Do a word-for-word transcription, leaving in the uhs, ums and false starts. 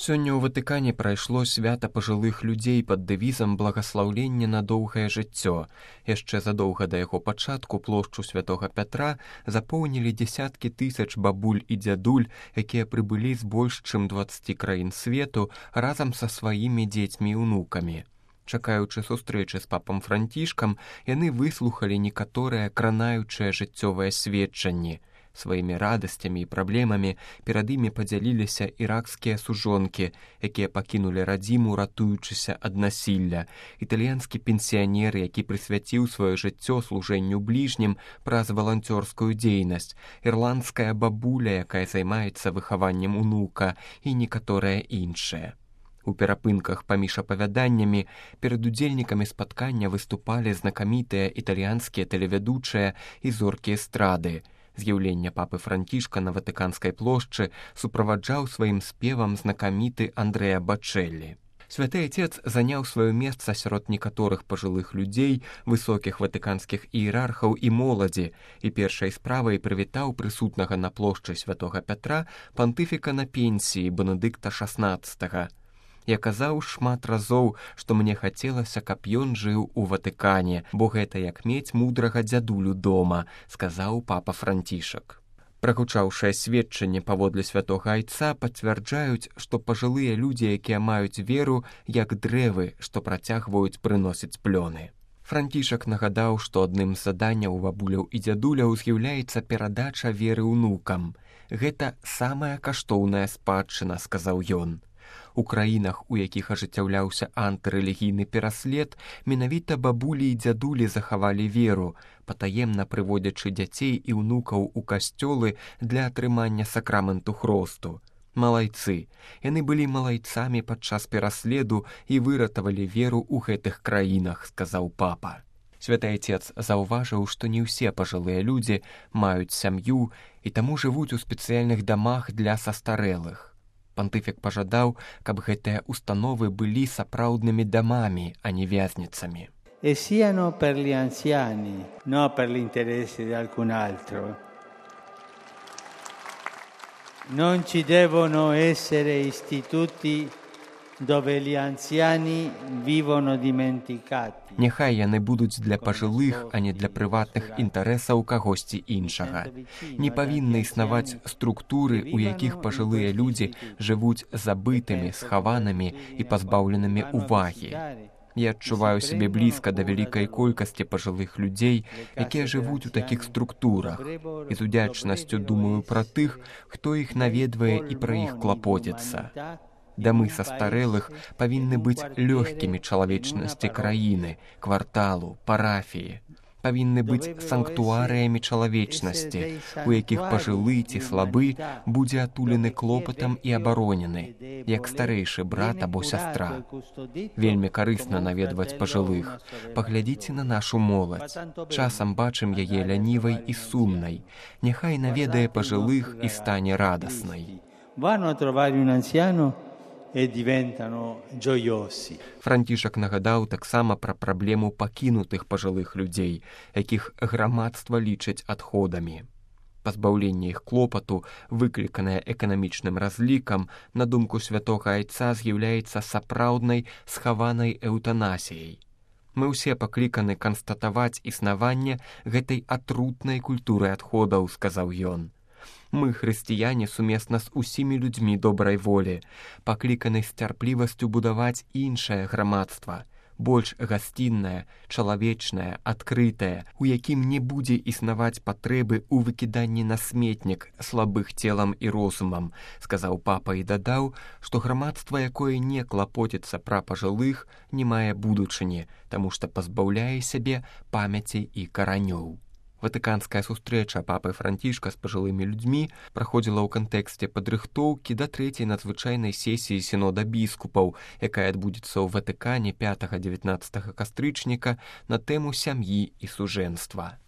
Сёння ў Ватыкане прайшло свята пажылых людзей пад дэвізам «Благаслаўленне на доўгае жыццё». Яшчэ задоўга да яго пачатку плошчу святога Пятра запоўнілі дзесяткі тысяч бабуль і дзядуль, якія прыбылі з больш чым дваццаці краін свету разам са сваімі дзецьмі і ўнукамі. Чакаючы сустрэчы з папам Францішкам, яны выслухалі некаторыя кранаючыя жыццёвыя сведчанні. Сваімі радасцямі і праблемамі перад імі падзяліліся іракскія сужонкі, якія пакінулі радзіму, ратуючыся ад насілля, італьянскі пенсіянер, які прысвяціў сваё жыццё служэнню бліжнім праз валанцёрскую дзейнасць, ірландская бабуля, якая займаецца выхаваннем унука, і некаторыя іншыя. У перапынках паміж апавяданнямі перад удзельнікамі спаткання выступалі знакамітыя італьянскія тэлевядучыя і зоркі эстрады. З'яўленне папы Францішка на Ватыканскай плошчы суправаджаў сваім спевам знакаміты Андрэа Бачэллі. Святы Отец заняў сваё месца сярод некаторых пажылых людзей, высокіх ватыканскіх іерархаў і моладзі, і першай справай прывітаў прысутнага на плошчы святога Пятра пантыфіка на пенсіі Бенедыкта шаснаццатага. Я казаў шмат разоў, што мне хацелася, каб ён жыў у Ватыкане, бо гэта як мець мудрага дзядулю дома, сказаў папа Францішак. Прагучаўшае сведчанне паводле святога Айца пацвярджаюць, што пажылыя людзі, якія маюць веру, як дрэвы, што працягваюць прыносіць плёны. Францішак нагадаў, што адным з заданняў бабуляў і дзядуляў з'яўляецца перадача веры ўнукам. Гэта самая каштоўная спадчына, сказаў ён. У краінах, у якіх ажыццяўляўся антырэлігійны пераслед, менавіта бабулі і дзядулі захавалі веру, патаемна прыводзячы дзяцей і ўнукаў у касцёлы для атрымання сакраменту хросту. Малайцы. Яны былі малайцамі падчас пераследу і выратавалі веру ў гэтых краінах, сказаў папа. Святы Отец заўважыў, што не ўсе пажылыя людзі маюць сям'ю і таму жывуць у спецыяльных дамах для састарэлых. Пантыфік пажадаў, каб гэтыя установы былі сапраўднымі дамамі, а не вязніцамі. E siano per gli anziani, no per l'interesse di alcun altro. Non ci devono essere istituti dove gli anziani vivono dimenticati. Няхай яны будуць для пажылых, а не для прыватных інтарэсаў кагосьці іншага. Не павінны існаваць структуры, у якіх пажылыя людзі жывуць забытымі, схаванымі і пазбаўленымі ўвагі. Я адчуваю сябе блізка да вялікай колькасці пажылых людзей, якія жывуць у такіх структурах, і з удзячнасцю думаю пра тых, хто іх наведвае і пра іх клапоціцца. Дамы састарэлых павінны быць лёгкімі чалавечнасці краіны, кварталу, парафіі. Павінны быць санктуарыямі чалавечнасці, у якіх пажылы ці слабы будзе атулены клопатам і абаронены, як старэйшы брат або сястра. Вельмі карысна наведваць пажылых. Паглядзіце на нашу моладзь. Часам бачым яе лянівай і сумнай. Няхай наведае пажылых і стане радаснай. Vanno a trovare un anziano e diventano gioiosi. Францішак нагадаў таксама пра праблему пакінутых пажылых людзей, якіх грамадства лічыць адходамі. Пазбаўленне іх клопату, выкліканае эканамічным разлікам, на думку святога Айца з'яўляецца сапраўднай схаванай эўтанасіяй. Мы ўсе пакліканы канстатаваць існаванне гэтай атрутнай культуры адходаў, сказаў ён. Мы, хрысціяне, сумесна з усімі людзьмі добрай волі, пакліканы з цярплівасцю будаваць іншае грамадства, больш гасціннае, чалавечнае, адкрытае, у якім не будзе існаваць патрэбы ў выкіданні на сметнік слабых целам і розумам, сказаў папа і дадаў, што грамадства, якое не клапоціцца пра пажылых, не мае будучыні, таму што пазбаўляе сябе памяці і каранёў. Ватыканская сустрэча папы Францішка з пажылымі людзьмі праходзіла ў кантэксце падрыхтоўкі да трэцяй надзвычайнай сесіі сінода біскупаў, якая адбудзецца ў Ватыкане пятага-дзевятнаццатага кастрычніка на тэму сям'і і сужэнства.